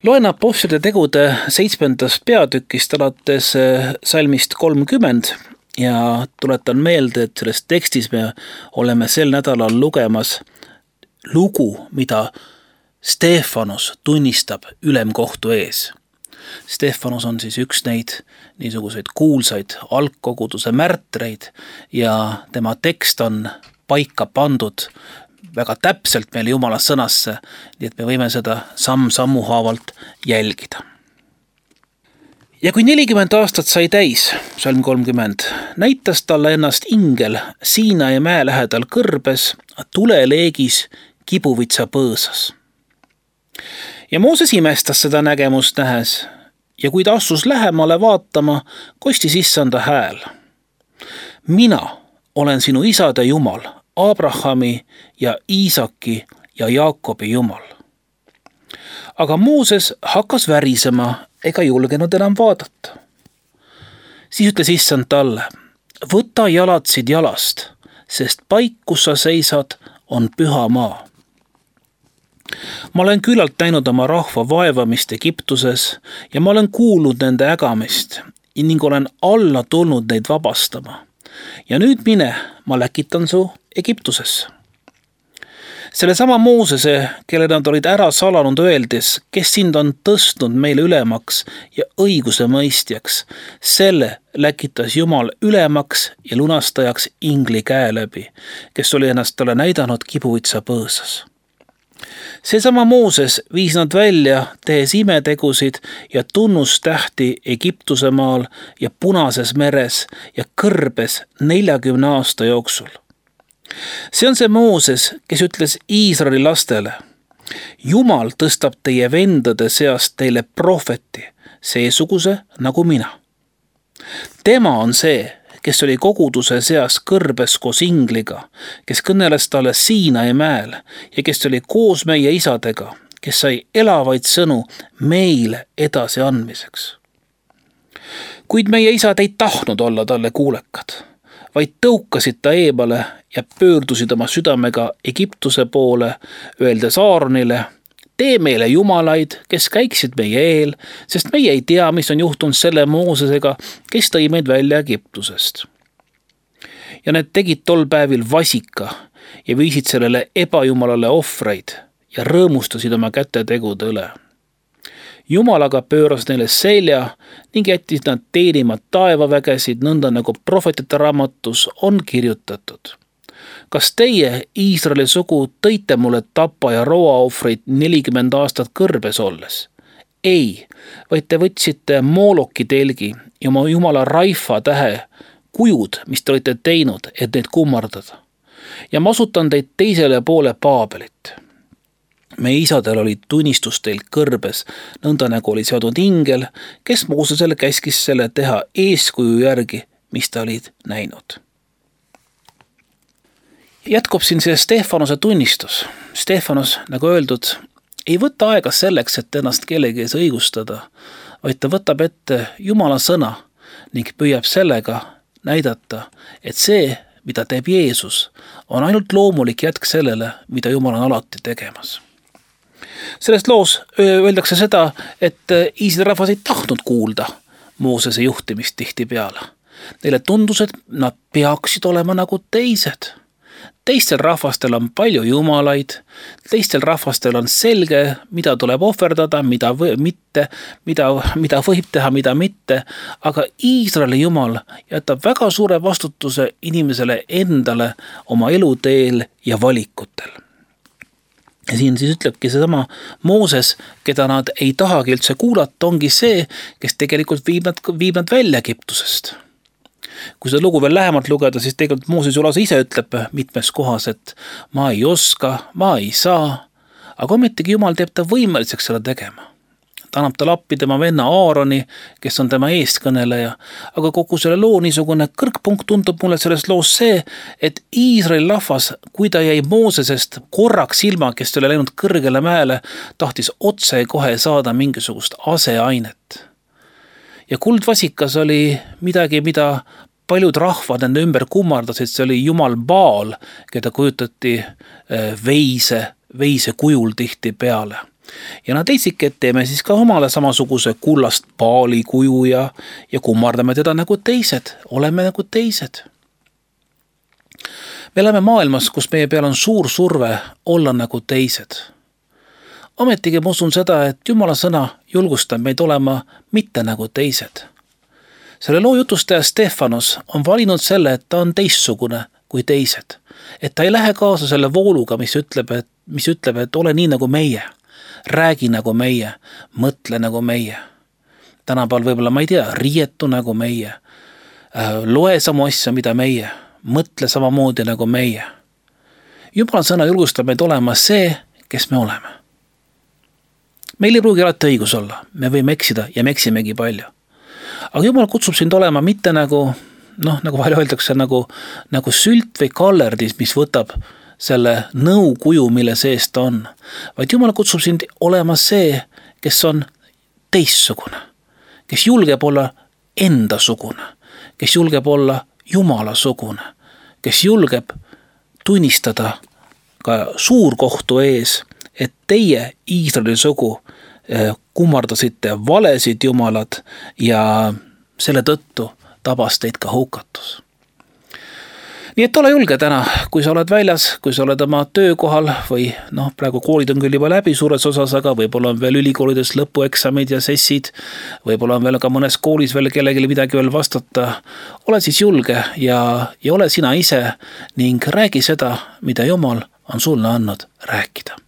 Loen Apostlite tegude 7. peatükist alates salmist 30 ja tuletan meelde, et selles tekstis me oleme sel nädalal lugemas lugu, mida Stefanus tunnistab ülemkohtu ees. Stefanus on siis üks neid niisuguseid kuulsaid algkoguduse märtreid ja tema tekst on paika pandud väga täpselt meile Jumala sõnasse, nii et me võime seda samm-sammu haavalt jälgida. Ja kui 40 aastat sai täis, salm 30, näitas talle ennast ingel Siinai mäe lähedal kõrbes, tuleleegis kibuvitsa põõsas. Ja Mooses imestas seda nägemust nähes ja kui ta astus lähemale vaatama, kostis issanda hääl. Mina olen sinu isade Jumal, Abrahami ja Iisaki ja Jaakobi Jumal. Aga Mooses hakkas värisema ega julgenud enam vaadata. Siis ütles issand talle, võta jalatsid jalast, sest paik, kus sa seisad, on püha maa. Ma olen küllalt näinud oma rahva vaevamist Egiptuses ja ma olen kuulnud nende ägamist ning olen alla tulnud neid vabastama. Ja nüüd mine, ma läkitan su Egiptusesse. Selle sama Moosese, kelle nad olid ära salanud öeldes, kes sind on tõstnud meile ülemaks ja õiguse mõistjaks, selle läkitas Jumal ülemaks ja lunastajaks ingli käe läbi, kes oli ennast talle näidanud kibuvitsa põõsas. Seesama Mooses viis nad välja, tehes imetegusid ja tunnustähti Egiptuse maal ja Punases meres ja kõrbes 40 aasta jooksul. See on see Mooses, kes ütles Iisraeli lastele, Jumal tõstab teie vendade seast teile prohveti, seesuguse nagu mina. Tema on see, kes oli koguduse seas kõrbes koos ingliga, kes kõneles talle Siinai mäel ja kes oli koos meie isadega, kes sai elavaid sõnu meile edasi andmiseks. Kuid meie isad ei tahtnud olla talle kuulekad, vaid tõukasid ta eemale ja pöördusid oma südamega Egiptuse poole, öeldes Aaronile, tee meile jumalaid, kes käiksid meie eel, sest meie ei tea, mis on juhtunud selle Moosesega, kes tõi meid välja Egiptusest. Ja need tegid tol päevil vasika ja viisid sellele ebajumalale ohvreid ja rõõmustasid oma kätetegude üle. Jumal aga pööras neile selja ning jättis nad teenima taevavägesid, nõnda nagu prohvetite raamatus on kirjutatud. Kas teie, Iisraeli sugu, tõite mulle tapa ja roaohvreid 40 aastat kõrbes olles? Ei, vaid te võtsite Mooloki telgi ja oma jumala Raifa tähe kujud, mis te olite teinud, et neid kummardada. Ja ma asutan teid teisele poole Paabelit. Meie isadel oli tunnistus teil kõrbes, nõnda nagu oli seadnud ingel, kes Moosesele käskis selle teha eeskuju järgi, mis ta olid näinud. Jätkub siin see Stefanuse tunnistus. Stefanus, nagu öeldud, ei võta aega selleks, et ennast kellegi ees õigustada, vaid ta võtab ette Jumala sõna ning püüab sellega näidata, et see, mida teeb Jeesus, on ainult loomulik jätk sellele, mida Jumal on alati tegemas. Selles loos öeldakse seda, et Iisraeli rahvas ei tahtnud kuulda Moosese juhtimist tihtipeale. Neile tundus, et nad peaksid olema nagu teised. Teistel rahvastel on palju jumalaid, teistel rahvastel on selge, mida tuleb ohverdada, mida võib teha, mida mitte, aga Iisraeli Jumal jätab väga suure vastutuse inimesele endale oma eluteel ja valikutel. Ja siin siis ütlebki seesama Mooses, keda nad ei tahagi üldse kuulata, ongi see, kes tegelikult viib nad välja Egiptusest. Kui seda lugu veel lähemalt lugeda, siis tegelikult Mooses Julasa ise ütleb mitmes kohas, et ma ei oska, ma ei saa, aga ometigi Jumal teeb ta võimeliseks seda tegema. Ta annab tal appi tema venna Aaroni, kes on tema eestkõneleja, aga kogu selle loo niisugune kõrgpunkt tundub mulle selles loos see, et Iisraeli rahvas, kui ta jäi Moosesest korraks ilma, kes oli läinud kõrgele mäele, tahtis otse kohe saada mingisugust aseainet. Ja kuldvasikas oli midagi, mida paljud rahvad nende ümber kummardasid, see oli Jumal Baal, keda kujutati veise kujul tihti peale. Ja nad leidsidki, et teeme siis ka omale samasuguse kullast paali kuju ja kummardame teda nagu teised, oleme nagu teised. Me elame maailmas, kus meie peal on suur surve olla nagu teised. Ametigi ma usun seda, et Jumala sõna julgustab meid olema mitte nagu teised. Selle loo jutustaja Stefanos on valinud selle, et ta on teistsugune kui teised. Et ta ei lähe kaasa selle vooluga, mis ütleb, et ole nii nagu meie. Räägi nagu meie, mõtle nagu meie. Tänapäeval võib-olla, ma ei tea, riietu nagu meie. Loe samu asja, mida meie. Mõtle samamoodi nagu meie. Jumala sõna julgustab meid olema see, kes me oleme. Meil ei pruugi alati õigus olla. Me võime eksida ja me eksimegi palju. Aga Jumal kutsub sind olema mitte nagu, nagu vahel öeldakse, nagu sült või kallerdis, mis võtab selle nõukuju, mille sees ta on. Vaid Jumal kutsub sind olema see, kes on teistsugune, kes julgeb olla endasugune, kes julgeb olla Jumalasugune, kes julgeb tunnistada ka suurkohtu ees, et teie Iisraeli sugu kummardasite valesid jumalad ja selle tõttu tabas teid ka hukatus. Nii et ole julge täna, kui sa oled väljas, kui sa oled oma töökohal või praegu koolid on küll juba läbi suures osas, aga võib-olla on veel ülikoolides lõpueksamid ja sessid, võib-olla on veel ka mõnes koolis veel kellelegi midagi veel vastata. Ole siis julge ja ole sina ise ning räägi seda, mida Jumal on sulle andnud rääkida.